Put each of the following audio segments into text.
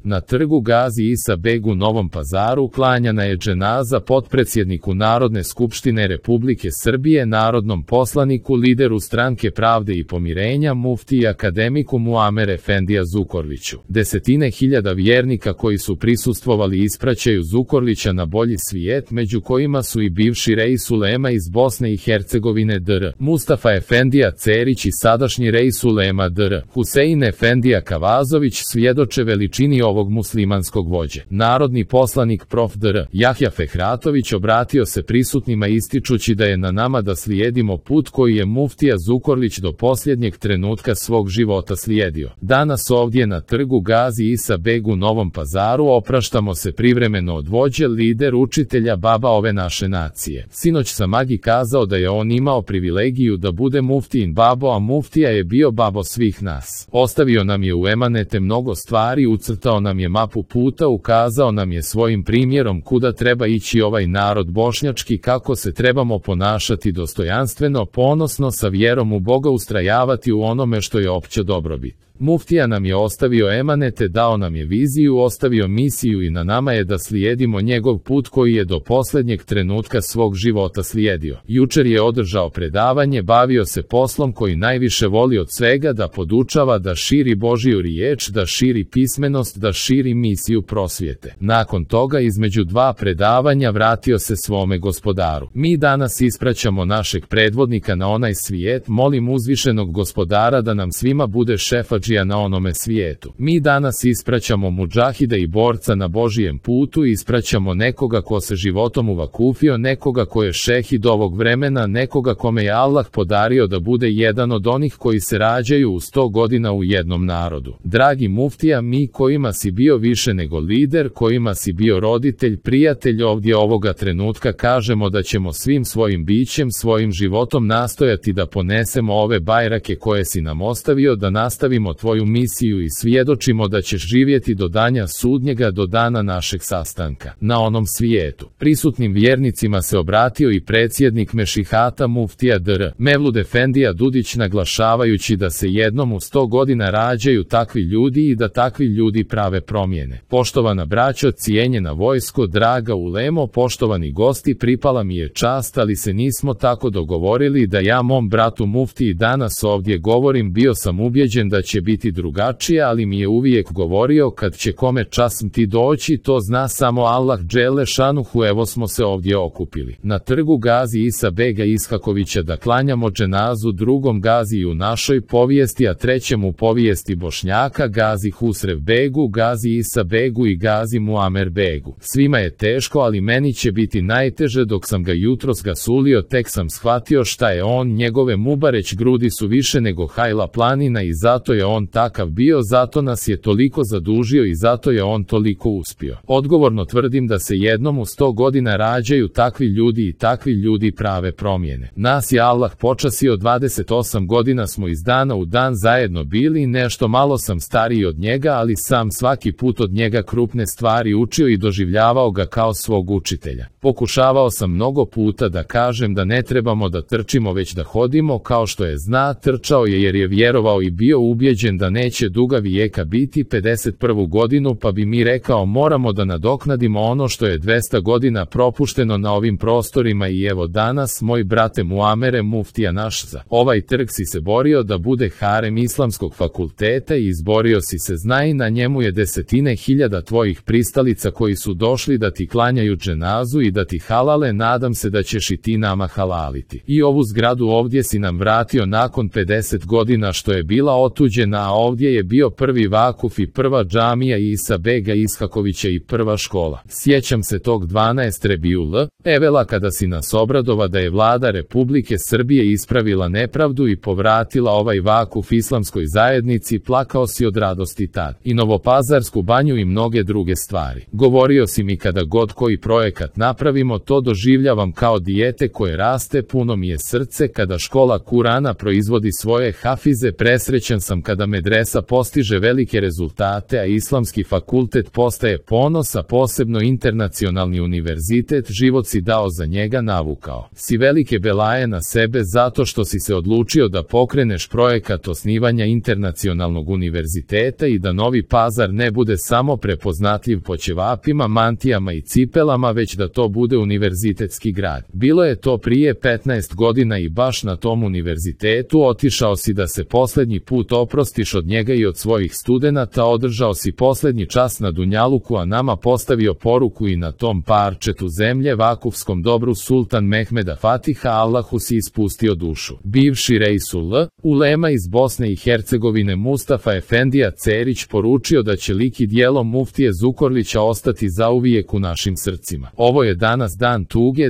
Na trgu Gazi Isa Beg u Novom Pazaru klanjana je dženaza potpredsjedniku Narodne skupštine Republike Srbije, narodnom poslaniku, lideru Stranke pravde i pomirenja, muftiji akademiku Muamer Efendija Zukorliću. Desetine hiljada vjernika koji su prisustvovali ispraćaju Zukorlića na bolji svijet, među kojima su i bivši reis ulema iz Bosne i Hercegovine dr. Mustafa Efendija Cerić i sadašnji reis ulema dr. Husein Efendija Kavazović svjedoče veličini ovog muslimanskog vođe. Narodni poslanik prof. dr. Jahja Fehratović obratio se prisutnima ističući da je na nama da slijedimo put koji je muftija Zukorlić do posljednjeg trenutka svog života slijedio. Danas ovdje na trgu Gazi Isa Beg u Novom Pazaru opraštamo se privremeno od vođe, lider, učitelja, baba ove naše nacije. Sinoć sam Agi kazao da je on imao privilegiju da bude muftijin babo, a muftija je bio babo svih nas. Ostavio nam je u emanete mnogo stvari, ucrtao nam je mapu puta, ukazao nam je svojim primjerom kuda treba ići ovaj narod bošnjački, kako se trebamo ponašati dostojanstveno, ponosno, sa vjerom u Boga ustrajavati u onome što je opće dobrobit. Muftija nam je ostavio emanete, dao nam je viziju, ostavio misiju i na nama je da slijedimo njegov put koji je do posljednjeg trenutka svog života slijedio. Jučer je održao predavanje, bavio se poslom koji najviše voli od svega, da podučava, da širi Božiju riječ, da širi pismenost, da širi misiju prosvjete. Nakon toga između dva predavanja vratio se svome Gospodaru. Mi danas ispraćamo našeg predvodnika na onaj svijet, molim uzvišenog Gospodara da nam svima bude šefadžija na onome svijetu. Mi danas ispraćamo mudžahida i borca na Božijem putu, ispraćamo nekoga ko se životom uvakufio, nekoga ko je šehid ovog vremena, nekoga kome je Allah podario da bude jedan od onih koji se rađaju u 100 godina u jednom narodu. Dragi muftija, mi kojima si bio više nego lider, kojima si bio roditelj, prijatelj, ovdje ovoga trenutka kažemo da ćemo svim svojim bićem, svojim životom nastojati da ponesemo ove bajrake koje si nam ostavio, da nastavimo tvoju misiju i svjedočimo da ćeš živjeti do dana sudnjega, do dana našeg sastanka na onom svijetu. Prisutnim vjernicima se obratio i predsjednik Mešihata muftija dr. Mevlud Efendija Dudić, naglašavajući da se jednom u 100 godina rađaju takvi ljudi i da takvi ljudi prave promjene. Poštovana braćo, cijenjena vojsko, draga ulemo, poštovani gosti, pripala mi je čast, ali se nismo tako dogovorili da ja mom bratu muftiji danas ovdje govorim. Bio sam ubjeđen da će biti drugačije, ali mi je uvijek govorio kad će kome časmti doći, to zna samo Allah dželle šanuhu. Evo smo se ovdje okupili na trgu Gazi Isa Bega Ishakovića da klanjamo dženazu drugom Gazi u našoj povijesti, a trećem u povijesti Bošnjaka, Gazi Husrev Begu, Gazi Isa Begu i Gazi Muamer Begu. Svima je teško, ali meni će biti najteže. Dok sam ga jutros gasulio, tek sam shvatio šta je on. Njegove mubareć grudi su više nego Hajla planina i zato je on takav bio, zato nas je toliko zadužio i zato je on toliko uspio. Odgovorno tvrdim da se jednom u 100 godina rađaju takvi ljudi i takvi ljudi prave promjene. Nas je Allah počasio, 28 godina smo iz dana u dan zajedno bili, nešto malo sam stariji od njega, ali sam svaki put od njega krupne stvari učio i doživljavao ga kao svog učitelja. Pokušavao sam mnogo puta da kažem da ne trebamo da trčimo, već da hodimo, kao što je zna. Trčao je jer je vjerovao i bio ubjeđen da neće duga vijeka biti 51. godinu, pa bi mi rekao moramo da nadoknadimo ono što je 200 godina propušteno na ovim prostorima. I evo danas, moj brate Muamere, muftija naš, za ovaj trg si se borio da bude harem Islamskog fakulteta i izborio si se, znaj, na njemu je desetine hiljada tvojih pristalica koji su došli da ti klanjaju dženazu i da ti halale. Nadam se da ćeš i ti nama halaliti. I ovu zgradu ovdje si nam vratio nakon 50 godina što je bila otuđena, a ovdje je bio prvi vakuf i prva džamija Isa Bega Ishakovića i prva škola. Sjećam se tog 12. Rebiul Evela kada si nas obradova da je vlada Republike Srbije ispravila nepravdu i povratila ovaj vakuf islamskoj zajednici. Plakao si od radosti tad. I Novopazarsku banju i mnoge druge stvari. Govorio si mi kada god koji projekat napravi napravimo to doživljavam kao dijete koje raste, puno mi je srce kada škola Kurana proizvodi svoje hafize, presrećan sam kada medresa postiže velike rezultate, a islamski fakultet postaje ponos, a posebno internacionalni univerzitet, život si dao za njega, navukao si velike belaje na sebe zato što si se odlučio da pokreneš projekat osnivanja internacionalnog univerziteta i da Novi Pazar ne bude samo prepoznatljiv po ćevapima, mantijama i cipelama, već da to bude univerzitetski grad. Bilo je to prije 15 godina i baš na tom univerzitetu otišao si da se posljednji put oprostiš od njega i od svojih studenata, održao si posljednji čas na Dunjaluku, a nama postavio poruku i na tom parčetu zemlje, vakufskom dobru sultan Mehmeda Fatiha, Allahu si ispustio dušu. Bivši Reisul Ulema iz Bosne i Hercegovine Mustafa Efendija Cerić poručio da će lik i djelo muftije Zukorlića ostati zauvijek u našim srcima. Ovo je danas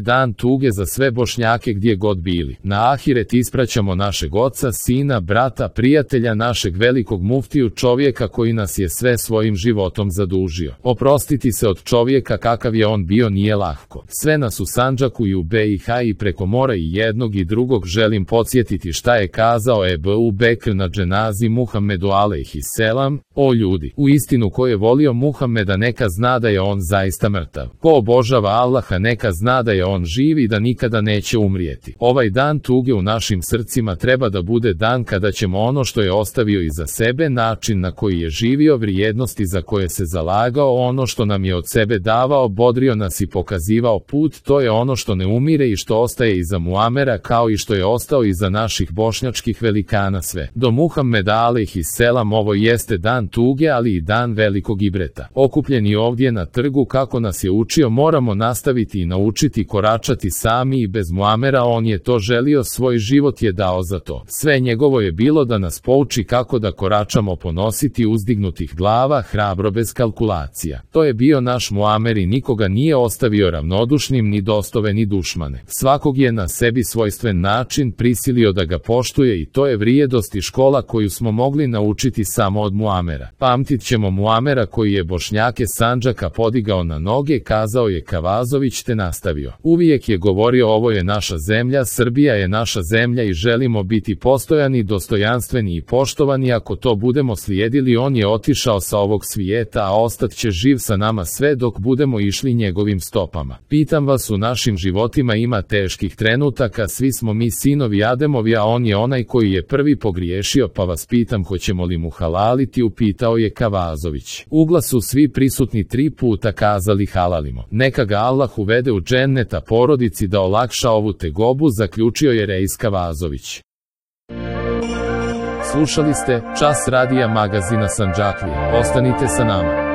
dan tuge za sve Bošnjake gdje god bili. Na ahiret ispraćamo našeg oca, sina, brata, prijatelja, našeg velikog muftiju, čovjeka koji nas je sve svojim životom zadužio. Oprostiti se od čovjeka kakav je on bio nije lahko. Sve nas u Sandžaku i u BiH i preko mora i jednog i drugog želim podsjetiti šta je kazao Ebu Bekr na dženazi Muhammedu alejhiselam: o ljudi, u istinu ko je volio Muhammeda neka zna da je on zaista mrtav. Ko obožava Allaha neka zna da je on živ i da nikada neće umrijeti. Ovaj dan tuge u našim srcima treba da bude dan kada ćemo ono što je ostavio iza sebe, način na koji je živio, vrijednosti za koje se zalagao, ono što nam je od sebe davao, bodrio nas i pokazivao put, to je ono što ne umire i što ostaje iza Muamera, kao i što je ostao iza naših bošnjačkih velikana sve. Do Muhammeda alejhiselam ovo jeste dan tuge, ali i dan velikog ibreta. Okupljeni ovdje na trgu kako nas je učio, moramo nastaviti i naučiti koračati sami i bez Muamera, on je to želio, svoj život je dao za to. Sve njegovo je bilo da nas pouči kako da koračamo ponositi uzdignutih glava, hrabro bez kalkulacija. To je bio naš Muamer i nikoga nije ostavio ravnodušnim, ni dostove ni dušmane. Svakog je na sebi svojstven način prisilio da ga poštuje i to je vrijedost i škola koju smo mogli naučiti samo od Muamera. Pamtit ćemo Muamera koji je Bošnjake Sandžaka podigao na noge, kazao je Kavazović, te nastavio. Uvijek je govorio ovo je naša zemlja, Srbija je naša zemlja i želimo biti postojani, dostojanstveni i poštovani. Ako to budemo slijedili, on je otišao sa ovog svijeta, a ostat će živ sa nama sve dok budemo išli njegovim stopama. Pitam vas, u našim životima ima teških trenutaka, svi smo mi sinovi Ademovi, a on je onaj koji je prvi pogriješio, pa vas pitam hoćemo li mu halaliti, upitao je Kavazović. Uglas su svi prisutni 3 puta kazali halalimo. Neka ga Allah uvede u džennet, a porodici da olakša ovu tegobu, zaključio je Reis Kavazović. Slušali ste Čas radija magazina Sandžaklije. Ostanite sa nama.